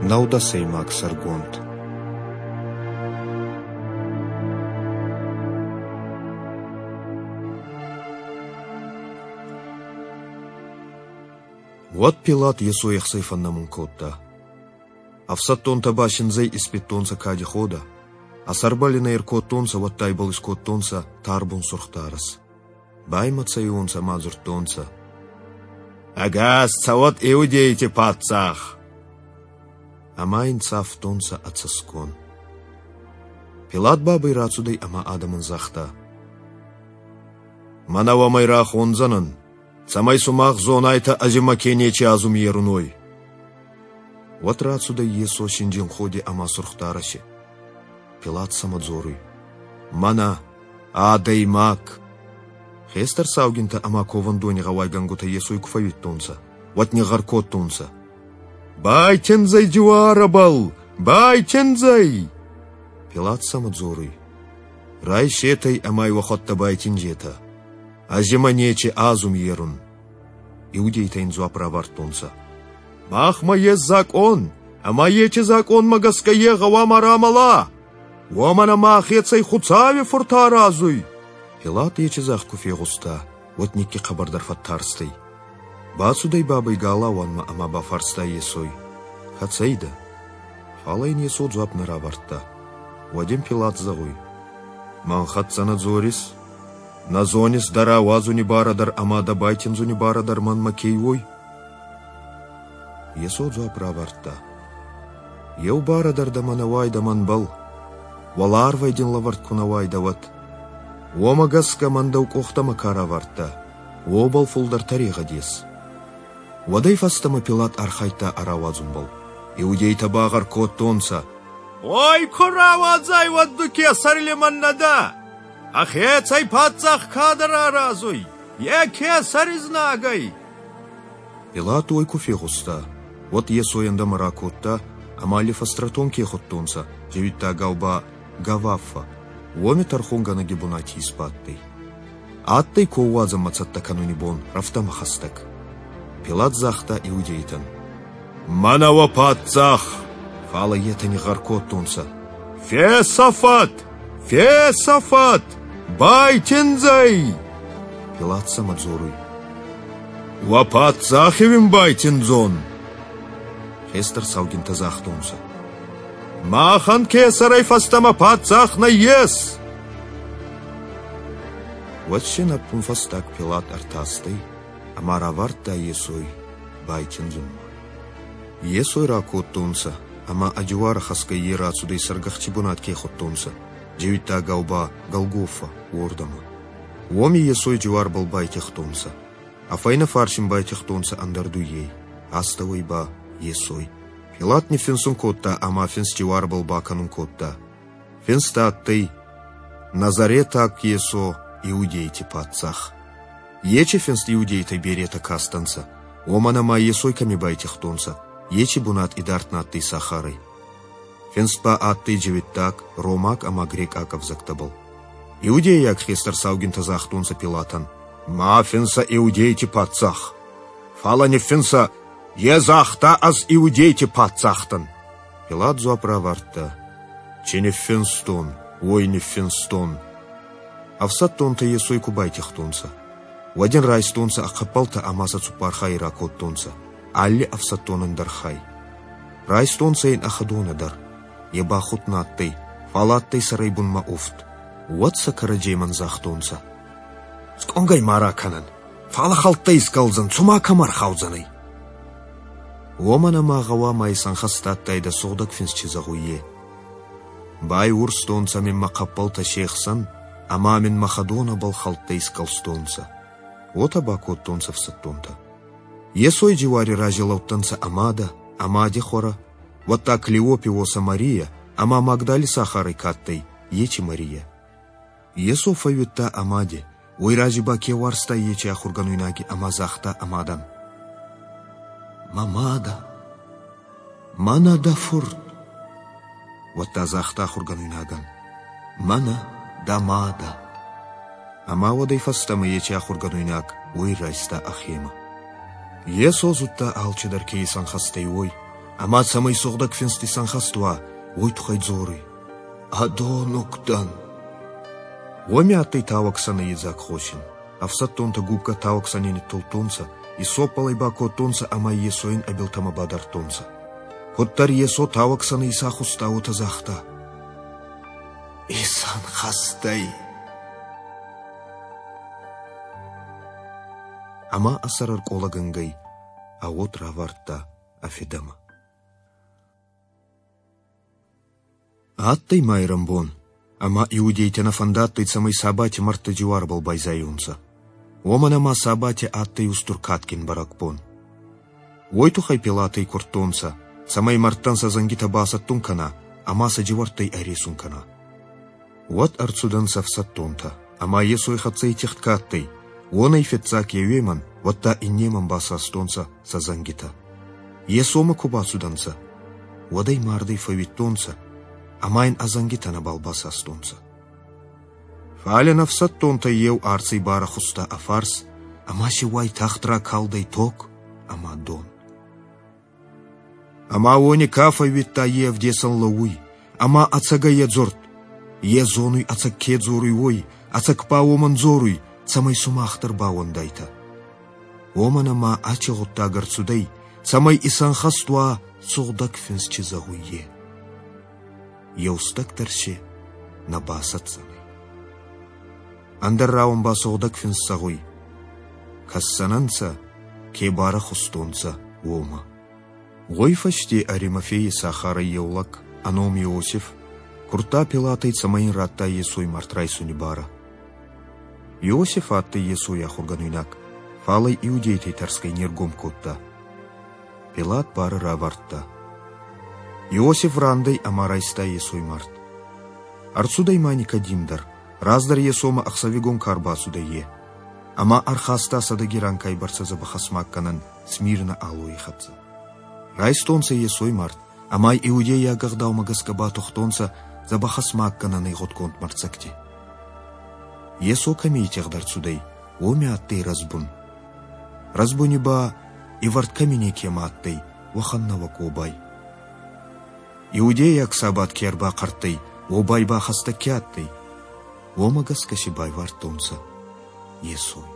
Нӕудӕсӕймаг сӕргонд. Уӕд Пилат Йесой ӕхцай фӕннӕмун кодта. Ӕфсӕддонтӕ ба синдзӕй испидтонцӕ кади ходӕ, ӕ сӕрбӕл ин ӕй ӕркодтонцӕ, уӕдта ибӕл искодтонцӕ тарбун сурх дарӕс. Баймӕцайуонцӕ ма дзурдтонцӕ: «Ӕгас цӕуӕд иудейти паддзах!» Ӕма ин цавтонцӕ ӕ цӕсгон. Пилат бабӕй рацудӕй ӕма адӕмӕн загъта: «Мӕнӕ уӕмӕй рахондзӕнӕн, цӕмӕй сумах зонайтӕ ӕз имӕ ке нечи азум ерун, уой». Уӕд рацудӕй Йесо синджин ходи ӕма сурх дарӕси. Пилат сӕмӕ дзоруй: «Мӕнӕ адӕймаг!» Хестӕр саугинтӕ ӕма ковӕндони гъӕуайгӕнгутӕ Йесой ку фӕууидтонцӕ, уӕд нигъгъӕр кодтонцӕ: «Байтиндзӕй дзиуарӕбӕл! Байтиндзӕй!» Пилат сӕмӕ дзоруй: «Райсетӕй ӕма ӕй уӕхуӕдтӕ байтиндзетӕ. Ӕз имӕ нечи азум ерун». Иудейтӕ ин дзуапп равардтонцӕ: «Махмӕ ес закъон, ӕма ечи закъонмӕ гӕсгӕ е гъӕуама рамӕла, уомӕн ӕма ӕхецӕй Хуцауи фурт аразуй». Пилат ечи загъд ку фегъуста, уӕд никки хъӕбӕрдӕр фӕттарстӕй. Бацудӕй бабӕй галауанмӕ ӕма бафарста Йесой: «Кӕцӕй дӕ?» Фал ин Йесо дзуапп нӕ равардта. Уӕд ин Пилат зӕгъуй: «Мӕн хӕццӕ нӕ дзорис? Нӕ зонис дӕ рауадзуни барӕ дӕр ӕма дӕ байтиндзуни барӕ дӕр мӕнмӕ ке уой?» Йесо дзуапп равардта: «Еу барӕ дӕр дӕмӕ нӕ уайдӕ мӕнбӕл, уӕларвӕй дин лӕвӕрд ку нӕ уайдӕ, уӕд. Уомӕ гӕсгӕ мӕн дӕу къохтӕмӕ ка равардта, уобӕл фулдӕр тӕрегъӕд ес». Уӕдӕй фӕстӕмӕ Пилат архайдта ӕ рауадзунбӕл. Иудейтӕ багъӕр кодтонцӕ: «Ой, ку рауадзай, уӕд ду кесӕри лимӕн нӕ дӕ! Ӕхецӕй паддзах кадӕр аразуй, е кесӕри знаг ӕй!» Пилат уой ку фегъуста, уӕд Йесой ӕндӕмӕ ракодта ӕма Лифостротон ке худтонцӕ, дзиуиттагау ба Гаваффа, уоми тӕрхонгӕнӕги бунати исбадтӕй. Адтӕй коууадзӕнмӕ цӕттӕ кӕнуни бон рӕфтӕмӕ хӕстӕг. Пилат загъта иудейтӕн: «Мӕнӕ уӕ паддзах!» Фал ӕй етӕ нигъгъӕр кодтонцӕ: «Фесӕфӕд! Фесӕфӕд! Байтиндзӕй!» Пилат сӕмӕ дзоруй: «Уӕ паддзахи уин байтиндзон?» Хестӕр саугинтӕ загътонцӕ: «Махӕн кесӕрӕй фӕстӕмӕ паддзах нӕййес!» Уӕд син ӕппунфӕстаг Пилат ӕртастӕй ӕма равардта Йесой байтиндзунмӕ. Йесой ракодтонцӕ ӕма ӕ дзиуарӕ хӕсгӕй е рацудӕй сӕргӕхци бунат ке худтонцӕ, дзиуиттагау ба Голгофа, уордӕмӕ. Уоми Йесой дзиуарбӕл байтигътонцӕ, ӕ фӕйнӕ фарс ин байтигътонцӕ ӕндӕр дуййей, астӕуӕй ба Йесой. Пилат ниффинсун кодта ӕма финст дзиуарбӕл бакӕнун кодта. Финст адтӕй Назаретаг Йесо иудейти паддзах. Ечи финст иудейтӕй беретӕ кастӕнцӕ, уомӕн ӕма Йесой кӕми байтигътонцӕ, ечи бунат идард на адтӕй сахарӕй. Финст ба адтӕй дзиуиттаг, ромаг ӕма грекъаг ӕвзӕгтӕбӕл. Иудейаг хестӕр саугинтӕ загътонцӕ Пилатӕн: «Ма финсӕ иудейти паддзах, фалӕ ниффинсӕ, е загъта ӕз иудейти паддзах дӕн». Пилат дзуапп равардта: «Чи ниффинстон, уой ниффинстон». Ӕфсӕддонтӕ Йесой ку байтигътонцӕ, уӕд ин райстонцӕ ӕ хъӕппӕлтӕ ӕма сӕ цуппар хайи ракодтонцӕ, алли ӕфсӕддонӕн дӕр хай. Райстонцӕ ин ӕ хӕдонӕ дӕр. Е ба худт на адтӕй, фал адтӕй сӕрӕй бунмӕ уфт. Уӕд сӕ кӕрӕдземӕн загътонцӕ: «Скъонгӕй ма ракӕнӕн, фал хӕлттӕ искӕлдзӕн, цума кӕмӕ ӕрхаудзӕнӕй?» Уомӕн ӕма гъӕуама исӕнхӕст адтайдӕ Сугъдӕг Финст чи зӕгъуй, е. Байурстонцӕ мин мӕ хъӕппӕлтӕ се хсӕн ӕма мин мӕ хӕдонӕбӕл хӕлттӕ искӕлстонцӕ. Уотӕ бакодтонцӕ ӕфсӕддонтӕ. Йесой дзиуари рази лӕудтӕнцӕ ӕ мадӕ, ӕ мади хуӕрӕ, уӕдта Клеопи уосӕ Марийӕ ӕма Магдали сахарӕй ка адтӕй, ечи Марийӕ. Йесо фӕууидта ӕ мади, уой рази ба ке уарзта ечи ахургӕнуйнаги ӕма загъта ӕ мадӕн: «Мӕ мадӕ, мӕнӕ дӕ фурт!» Уӕдта загъта ахургӕнуйнагӕн: «Мӕнӕ дӕ мадӕ!» Ӕма уӕдӕй фӕстӕмӕ ечи ахургӕнуйнаг уой райста ӕхемӕ. Йесо зудта, алчидӕр ке исӕнхӕст ӕй, уой, Ӕма цӕмӕй Сугъдӕг Финст исӕнхӕст уа, уой туххӕй дзоруй: «Ӕдонуг дӕн». Уоми адтӕй тауӕг сӕнӕ идзаг хосин. Ӕфсӕддонтӕ губкӕ тауӕг сӕни ниттулдтонцӕ, исоппӕлӕй бакодтонцӕ ӕма Йесойӕн ӕ билтӕмӕ бадардтонцӕ. Куддӕр Йесо тауӕг сӕнӕ исахуста, уотӕ загъта: «Исӕнхӕст ӕй!» Ӕма ӕ сӕр ӕркъолӕгӕнгӕй, ӕ уод равардта ӕ фидӕмӕ. Адтӕй майрӕнбон, ӕма иудейтӕ нӕ фӕндадтӕй, цӕмӕй сабати мӕрдтӕ дзиуарбӕл байзайонцӕ. Уомӕн ӕма сабати адтӕй устур кадгин бӕрӕгбон. Уой туххӕй Пилатӕй курдтонцӕ, цӕмӕй мӕрдтӕн сӕ зӕнгитӕ басӕттун кӕна ӕма сӕ дзиуӕрттӕй ӕресун кӕна. Уӕд ӕрцудӕнцӕ ӕфсӕддонтӕ, ӕма Йесой хӕццӕ итигъд ка адтӕй, уонӕй фиццаг еуемӕн, уӕдта иннемӕн басастонцӕ сӕ зӕнгитӕ. Йесомӕ ку бацудӕнцӕ, уӕд ӕй мардӕй фӕууидтонцӕ, ӕма ин ӕ зӕнгитӕ нӕбал басастонцӕ. Фал ин ӕфсӕддонтӕй еу арцӕй барӕхуста ӕ фарс, ӕма си уайтагъд ракалдӕй тог ӕма дон. Ӕма уони ка фӕууидта, е ӕвдесӕн лӕууй, ӕма ӕцӕгӕй е дзурд. Е зонуй, ӕцӕг ке дзоруй, уой, ӕцӕг ба уомӕн дзоруй, цӕмӕй сумах дӕр баууӕндайтӕ. Уомӕн ӕма аци гъуддаг ӕрцудӕй, цӕмӕй исӕнхӕст уа Сугъдӕг Финст чи зӕгъуй, е. Еустӕг дӕр си нӕ басӕтдзӕнӕй. Ӕндӕр рауӕн ба Сугъдӕг Финст зӕгъуй: Кӕсдзӕнӕнцӕ, ке барӕхустонцӕ, уомӕ. Уой фӕсте Аримафейи сахарӕй еу лӕг, ӕ ном Иосиф, курдта Пилатӕй, цӕмӕй ин радта Йесой мард райсуни барӕ. Иосиф адтӕй Йесой ахургӕнуйнаг, фал ӕй иудейтӕй тӕрсгӕй не ргом кодта. Пилат барӕ равардта. Иосиф рандӕй ӕма райста Йесой мард. Ӕрцудӕй ма Никодим дӕр, раздӕр Йесомӕ ӕхсӕвигон ка рбацудӕй, е, ӕма ӕрхаста сӕдӕги ранкай бӕрцӕ дзӕбӕх ӕсмаггӕнӕн Смирнӕ алойи хӕццӕ. Райстонцӕ Йесой мард, ӕма иудейаг ӕгъдаумӕ гӕсгӕ батухтонцӕ дзӕбӕх ӕсмаггӕнӕнӕй гъудгонд мӕрддзӕгти. Йесо кӕми итигъд ӕрцудӕй, уоми адтӕй рӕзбун. Рӕзбуни ба ивӕрд кӕми некема адтӕй, уӕхӕн нӕуӕг уобай. Иудейаг сабат ке ӕрбахъӕрттӕй, уобай ба хӕстӕг ке адтӕй, уомӕ гӕсгӕ си байвардтонцӕ Йесой.